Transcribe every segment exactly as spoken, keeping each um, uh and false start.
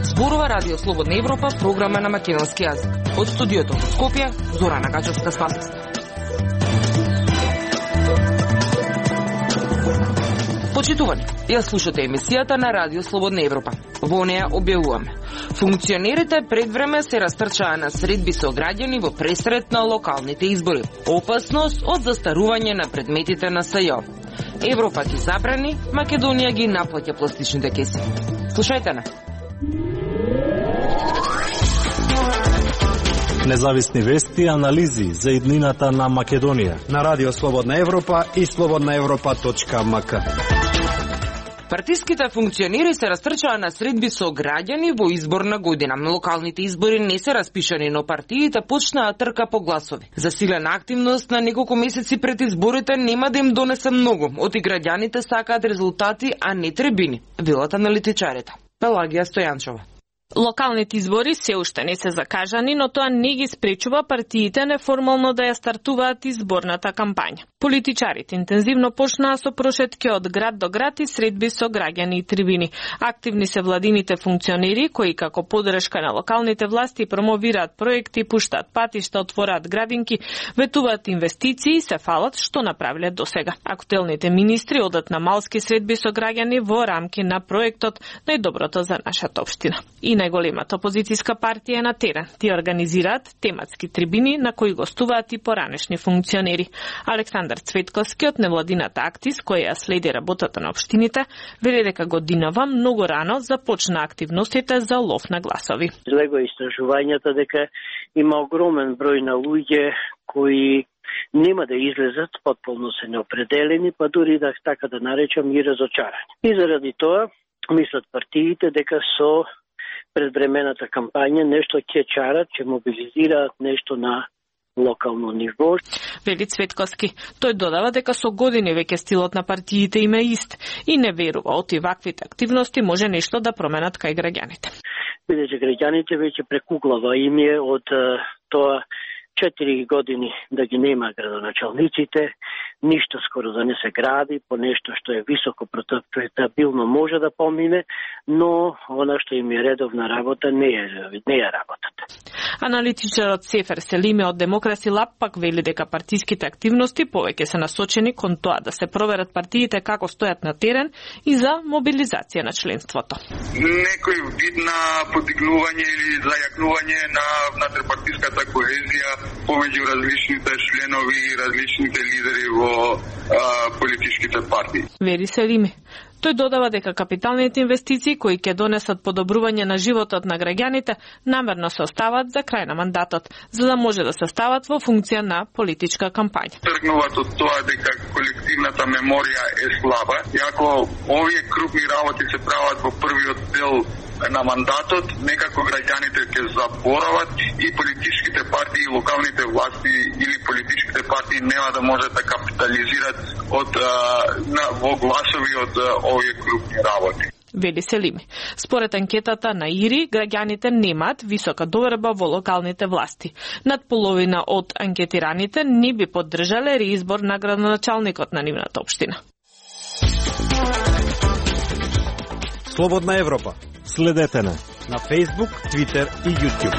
Зборува Радио Слободна Европа, програма на македонски јазик. Од студиото во Скопје, Зорана Гачевска-Спасовска. Почитувани, ја слушате емисијата на Радио Слободна Европа. Во неја објавуваме: функционерите пред време се растрчаа на средби со граѓани во пресрет на локалните избори. Опасност од застарување на предметите на СЈО. Европа ги забрани, Македонија ги наплаќа пластичните кеси. Слушајте на. Независни вести и анализи за иднината на Македонија на Радио Слободна Европа и слободна европа точка ем ка. Партиските функционери се растрчаа на средби со граѓани во изборна година. Локалните избори не се распишани, но партиите почнаа трка по гласови. Засилена активност на неколку месеци пред изборите нема да им донесе многу. Оти граѓаните сакаат резултати, а не требини, велат аналитичарите. Пелагија Стојанчова. Локалните избори се уште не се закажани, но тоа не ги спречува партиите неформално да ја стартуваат изборната кампања. Политичарите интензивно почнаа со прошетки од град до град и средби со граѓани и трибини. Активни се владините функционери кои како подршка на локалните власти промовираат проекти, пуштаат патишта, отвораат градинки, ветуваат инвестиции и се фалат што направиле досега. Актуелните министри одат на малски средби со граѓани во рамки на проектот Најдоброто за нашата општина. И најголемата опозицијска партија е на терен. Ти организираат тематски трибини на кои гостуваат и поранешни функционери. Александар Цветковски од невладината Актис, која ја следи работата на општините, вели дека годинава многу рано започна активностите за лов на гласови. Лего истражувањата дека има огромен број на луѓе кои нема да излезат, потполно се неопределени, па дури да така да наречам и разочарани. И заради тоа мислат партиите дека со предвремената кампања нешто ќе чарат, ќе мобилизираат нешто на локално ниво. Вели Цветковски. Тој додава дека со години веќе стилот на партиите им е ист и не верува од ваквите активности може нешто да променат кај граѓаните. Бидејќи граѓаните веќе прекуглава им е од тоа четири години да ги нема градоначалниците, ништо скоро да не се гради, по нешто што е високо претабилно може да помине, но она што им е редовна работа не е, не е работата. Аналитичарот Сефер Селиме од Демокраси Лаб пак вели дека партиските активности повеќе се насочени кон тоа да се проверат партиите како стојат на терен и за мобилизација на членството. Некој вид на подигнување или зајакнување на внатрешпартиската коезија помеѓу различните членови и различните лидери во а, политичките партии. Вери Селиме. Тој додава дека капиталните инвестиции кои ќе донесат подобрување на животот на граѓаните намерно се остават за крај на мандатот, за да може да се стават во функција на политичка кампања. Тргнуваат од тоа дека колективната меморија е слаба, и ако овие крупни работи се прават во првиот дел на мандатот, некако граѓаните ќе заборават и политичките партии, и локалните власти или политичките партии нема да можат да капитализират од а, на, во гласови од а, овие крупни работи. Вели Селими. Според анкетата на ИРИ, граѓаните немаат висока доверба во локалните власти. Над половина од анкетираните не би поддржале реизбор на градоначалникот на нивната општина. Слободна Европа. Следете на на Facebook, Twitter и YouTube.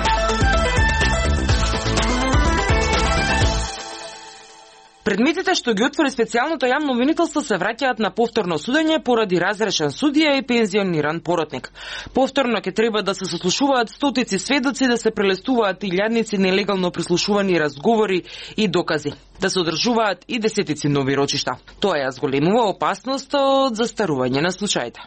Предметите што ги отвори специјалното јавно обвинителство се враќаат на повторно судење поради разрешен судија и пензиониран поротник. Повторно ќе треба да се сослушуваат стотици сведоци, да се прелестуваат илјадници нелегално прислушувани разговори и докази, да се одржуваат и десетици нови рочишта. Тоа ја зголемува опасност од застарување на случаите.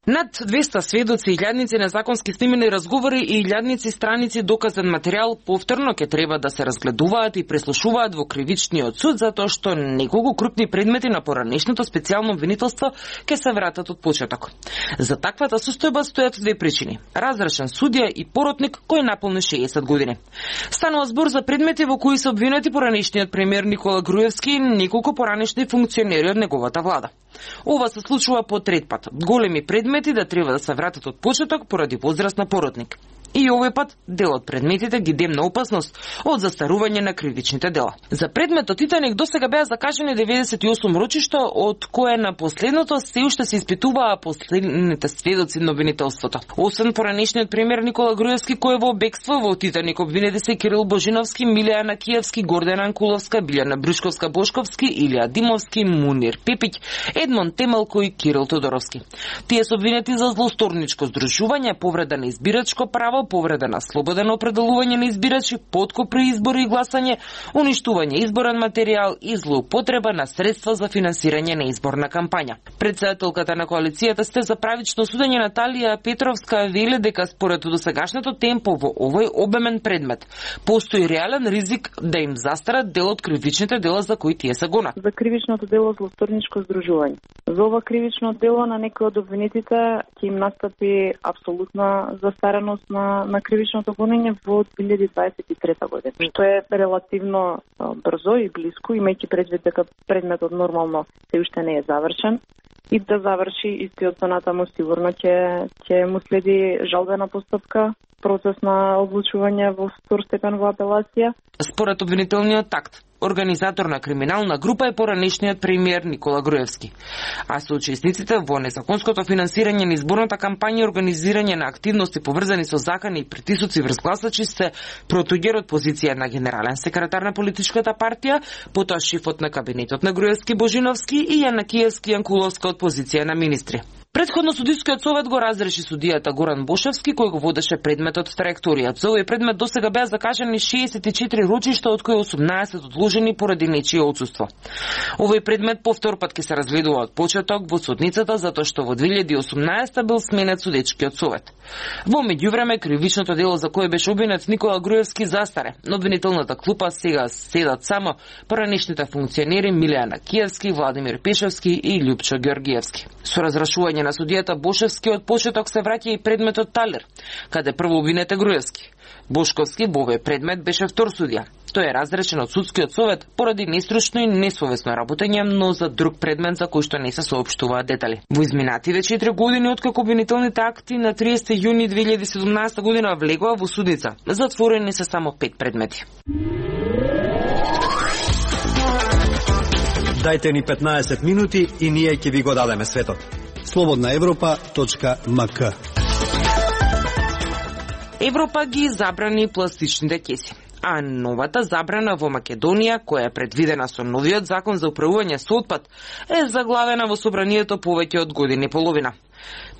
Над двеста сведоци, илјадници незаконски снимени разговори и илјадници страници доказен материјал повторно ќе треба да се разгледуваат и преслушуваат во кривичниот суд, затоа што неколку крупни предмети на поранешното специјално обвинителство ќе се вратат од почеток. За таквата состојба стојат две причини: разрешен судија и поротник кој наполни шеесет години. Станува збор за предмети во кои се обвинети поранешниот премиер Никола Груевски и неколку поранешни функционери од неговата влада. Ова се случува по трет пат. Големи предмети да треба да се вратат од почеток поради возраст на поротник. И овој пат дел од предметите ги демна опасност од застарување на кривичните дела. За предметот Титаник досега беа закажани деветдесет и осум рочишта, од кое на последното се уште се испитуваа последните сведоци на обвинителството. Освен поранешниот премиер Никола Груевски, кој е во бегство, во Титаник обвинети се Кирил Божиновски, Милија Накиевски, Гордана Анкуловска, Билјана Брушковска-Бошковски, Илија Димовски, Мунир Пепиќ, Едмон Темелко и Кирил Тодоровски. Тие се обвинети за злосторничко здружување, повреда на избирачко право, повреда на слободено определување на избирачи, подкуп при избори и гласање, уништување изборен материјал и злоупотреба на средства за финансирање на изборна кампања. Председателката на коалицијата Сте за правично судење Наталија Петровска вели дека според досегашното темпо во овој обемен предмет постои реален ризик да им застарат дел од кривичните дела за кои тие се гонат. За кривичното дело злосторничко здружување. За ова кривично дело на некои од обвинетите ќе им настапи апсолутна застареност на на кривичното гонење во две илјади дваесет и трета година, што е релативно брзо и блиску, имајќи предвид дека предметот нормално се уште не е завршен. И да заврши истиот понатаму сигурно ќе ќе му следи жалбена постапка, процес на одлучување во втор степен во апелација. Според обвинителниот акт, организатор на криминална група е поранешниот премиер Никола Груевски, а соучесниците во незаконското финансирање на изборната кампања и организирање на активности поврзани со закани и притисоци врз гласачи се Протогер од позиција на генерален секретар на политичката партија, потоа шефот на кабинетот на Груевски Божиновски и Јанакиевски Јанкуловска од позиција на министри. Предходно судискиот совет го разреши судијата Горан Бошевски, кој го водеше предметот траекторијата. За овој предмет досега беа закажани шеесет и четири рочишта, од кои осумнаесет одложени поради нечие отсуство. Овој предмет повтор пат ќе се разгледува од почеток во судницата, затоа што во две илјади и осумнаесета бил сменет судечкиот совет. Во меѓувреме, кривичното дело за кое беше обвинет Никола Груевски застаре. На обвинителната клупа сега седат само поранешните функционери Милија Накиевски, Владимир Пешевски и Љупчо Георгиевски. Со разрешување на судијата Бошевски од почеток се враќа и предметот Талер, каде прво обвинет е Груевски. Бошковски во овој предмет беше втор судија. Тој е разрешен од судскиот совет поради нестручно и несовесно работење, но за друг предмет за кој што не се соопштуваат детали. Во изминативе четири години откако обвинителните акти на триесети јуни две илјади и седумнаесета година влегоа во судница, затворени се само пет предмети. Дајте ни петнаесет минути и ние ќе ви го дадеме светот. слободна европа точка ем ка. Европа ги забрани пластичните кеси, а новата забрана во Македонија, која е предвидена со новиот закон за управување со отпад, е заглавена во собранието повеќе од година и половина.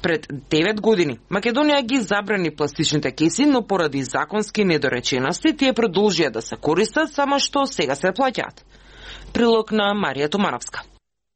Пред девет години Македонија ги забрани пластичните кеси, но поради законски недоречености тие продолжија да се користат, само што сега се плаќаат. Прилог на Марија Томановска.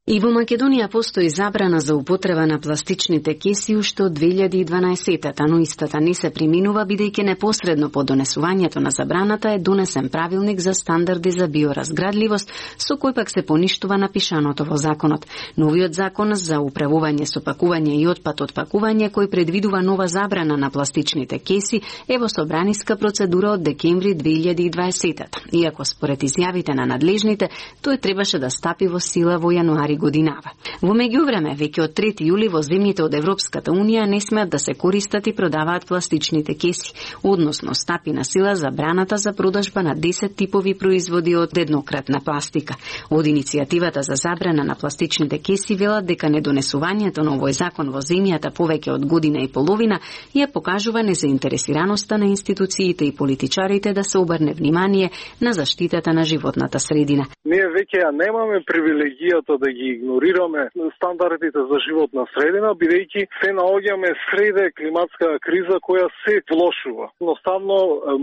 И во Македонија постои забрана за употреба на пластичните кеси уште од две илјади и дванаесета, но истата не се приминува бидејќи непосредно по донесувањето на забраната е донесен правилник за стандарди за биоразградливост, со кој пак се поништува напишаното во законот. Новиот закон за управување со пакување и отпад од пакување, кој предвидува нова забрана на пластичните кеси, е во собраниска процедура од декември две илјади и дваесета. Иако според изјавите на надлежните, тој требаше да стапи во сила во јануари годинава. Во меѓувреме, веќе од трети јули во земјите од Европската унија не смеат да се користат и продаваат пластичните кеси, односно стапи на сила забраната за продажба на десет типови производи од еднократна пластика. Од иницијативата за забрана на пластичните кеси велат дека недонесувањето на овој закон во земјата повеќе од година и половина ја покажува незаинтересираноста на институциите и политичарите да се обрне внимание на заштитата на животната средина. Ние веќе ја немаме привилегијата да ги игнорираме стандардите за животна средина, бидејќи се наоѓаме среде климатска криза која се влошува. Едноставно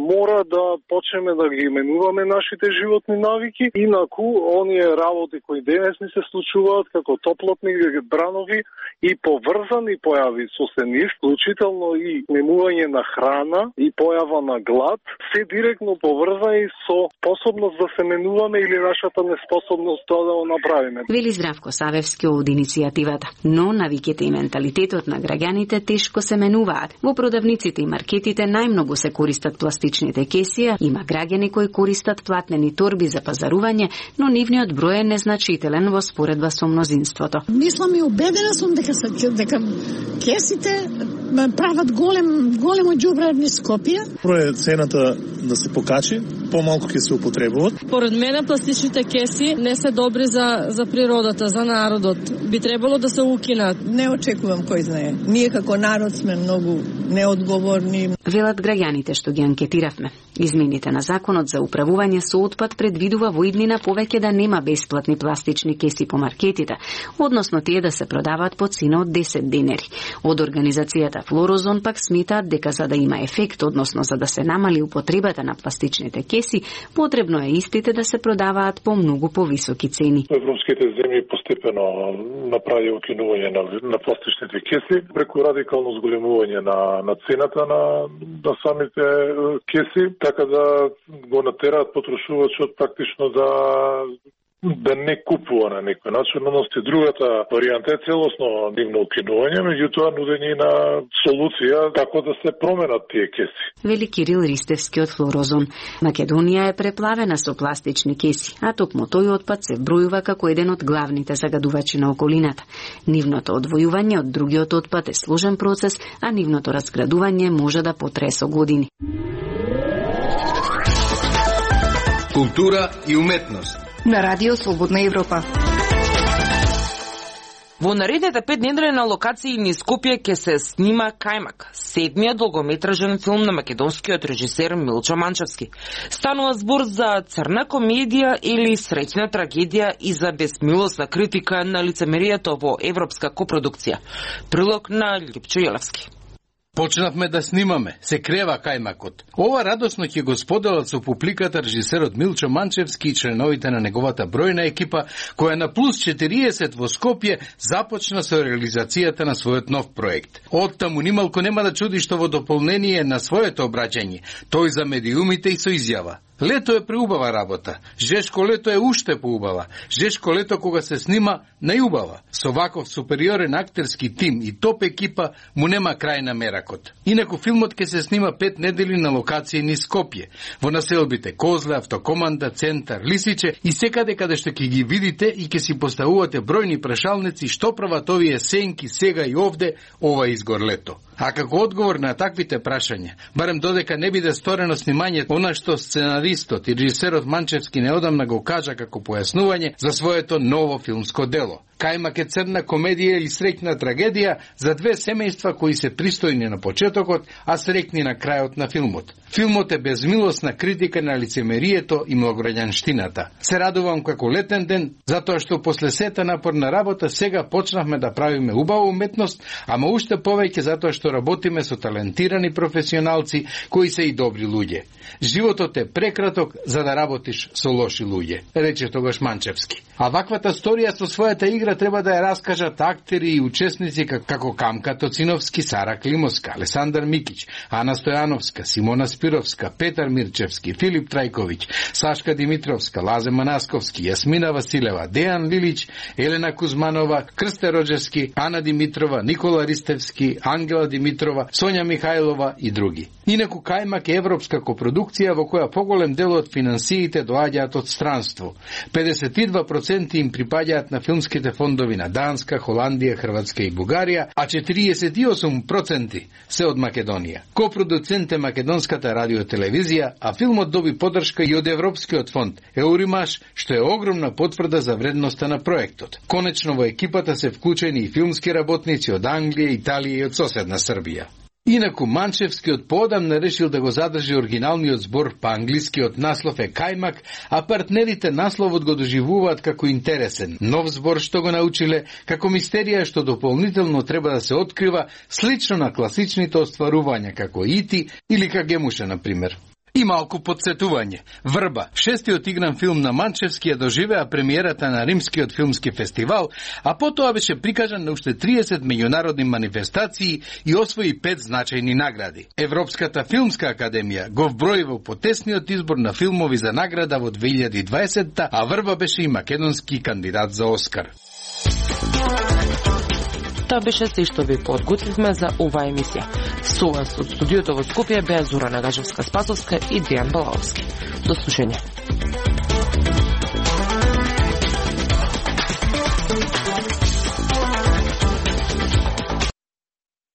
мора да почнеме да ги именуваме нашите животни навики, инаку оние работи кои денес ни се случуваат како топлотни бранови и поврзани појави со сени, вклучително и немување на храна и појава на глад, се директно поврзани со способност да се менуваме или нашата неспособност тоа да го направиме. Вели Здравко Савевски од иницијативата. Но навиките и менталитетот на граѓаните тешко се менуваат. Во продавниците и маркетите најмногу се користат пластичните кеси, има граѓани кои користат платнени торби за пазарување, но нивниот број е незначителен во споредба со мнозинството. Мислам и убедена сум дека се дека кесите прават голем големо џубре низ Скопје. Прво е цената да се покачи, помалку ќе се употребуваат. Според мене пластичните кеси не се добри за за природата, за народот. Би требало да се укинат. Не очекувам кој знае. Ние како народ сме многу неодговорни. Велат граѓаните што ги анкетиравме. Измените на законот за управување со отпад предвидува во иднина повеќе да нема бесплатни пластични кеси по маркетите, односно тие да се продаваат по цена од десет денери. Од организацијата Флорозон пак сметаат дека за да има ефект, односно за да се намали употребата на пластичните кеси, потребно е истите да се продаваат по многу повисоки цени. Европските земји постепено направи укинување на, на пластичните кеси преку радикално зголемување на, на цената на, на самите кеси, така да го натераат потрошувачот практично да да не купува на некој начин, но сте другата варијанта е целосно нивно укинување, меѓутоа нудење на солуција како да се променат тие кеси. Вели Кирил Ристевски од Флорозон. Македонија е преплавена со пластични кеси, а токму тој отпад се бројува како еден од главните загадувачи на околината. Нивното одвојување од другиот отпад е сложен процес, а нивното разградување може да потрае со години. Култура и уметност на Радио Слободна Европа. Во наредните пет недели на локации низ Скопје ќе се снима Кајмак, седмиот долгометражен филм на македонскиот режисер Милчо Манчевски. Станува збор за црна комедија или среќна трагедија и за безмилосна критика на лицемерието во европска копродукција. Прилог на Липчо Јелевски. Почнавме да снимаме, се крева кајмакот. Ова радосно ќе го споделат со публиката режисерот Милчо Манчевски и членовите на неговата бројна екипа, која на плюс четириесет во Скопје започна со реализацијата на својот нов проект. Оттаму нималку нема да чуди што во дополнение на своето обраќање, тој за медиумите и со изјава: лето е преубава работа. Жешко лето е уште поубава. Жешко лето кога се снима најубава. Со ваков супериорен актерски тим и топ екипа му нема крај на меракот. Инаку филмот ќе се снима пет недели на локација низ Скопје, во населбите Козле, Автокоманда, Центар, Лисиче и секаде каде што ќе ги видите и ќе си поставувате бројни прашалници што прават овие сенки сега и овде ова изгор лето. А како одговор на таквите прашања, барем додека не биде сторено снимањето, она што сценаристот и режисерот Манчевски неодамна го кажа како појаснување за своето ново филмско дело. Кајмак е црна комедија или среќна трагедија за две семејства кои се пристојни на почетокот, а среќни на крајот на филмот. Филмот е безмилосна критика на лицемерието и многограѓанштината. Се радувам како летен ден, затоа што после сета напорна работа сега почнавме да правиме убава уметност, ама уште повеќе затоа што работиме со талентирани професионалци кои се и добри луѓе. Животот е прекраток за да работиш со лоши луѓе, рече тогаш Манчевски. А ваквата сторија со својата игра треба да ја раскажат актери и учесници како Камка Тоциновски, Сара Климовска, Алесандар Микич, Ана Стојановска, Симона Спировска, Петар Мирчевски, Филип Трајковиќ, Сашка Димитровска, Лазе Манасковски, Јасмина Василева, Дејан Лилич, Елена Кузманова, Крсте Роджевски, Ана Димитрова, Никола Ристевски, Ангела Димитрова, Сонја Михајлова и други. Инаку Кајмак е европска копродукција во која поголем дел од финансиите доаѓаат од странство. педесет и два проценти им припаѓаат на филмските фондови на Данска, Холандија, Хрватска и Бугарија, а четириесет и осум проценти се од Македонија. Копродуцент е Македонската радиотелевизија, а филмот доби поддршка и од Европскиот фонд Еуримаш, што е огромна потврда за вредноста на проектот. Конечно во екипата се вклучени и филмски работници од Англија, Италија и од соседна Србија. Инаку Манчевскиот поодамна решил да го задржи оригиналниот збор, па англискиот наслов е Кајмак, а партнерите насловот го доживуваат како интересен, нов збор што го научиле, како мистерија што дополнително треба да се открива, слично на класичните остварувања како Ити или Кагемуша, например. И малку подсетување. Врба, шестиот игран филм на Манчевски, ја доживеа премиерата на Римскиот филмски фестивал, а потоа беше прикажан на уште триесет меѓународни манифестации и освои пет значајни награди. Европската филмска академија го вброи во потесниот избор на филмови за награда во две илјади и дваесетта, а Врба беше и македонски кандидат за Оскар. Тоа беше се што ви подготвивме за оваа емисија. Со вас од студиото во Скопје беа Зора Нагажевска-Спасовска и Дејан Балаовски. До слушање.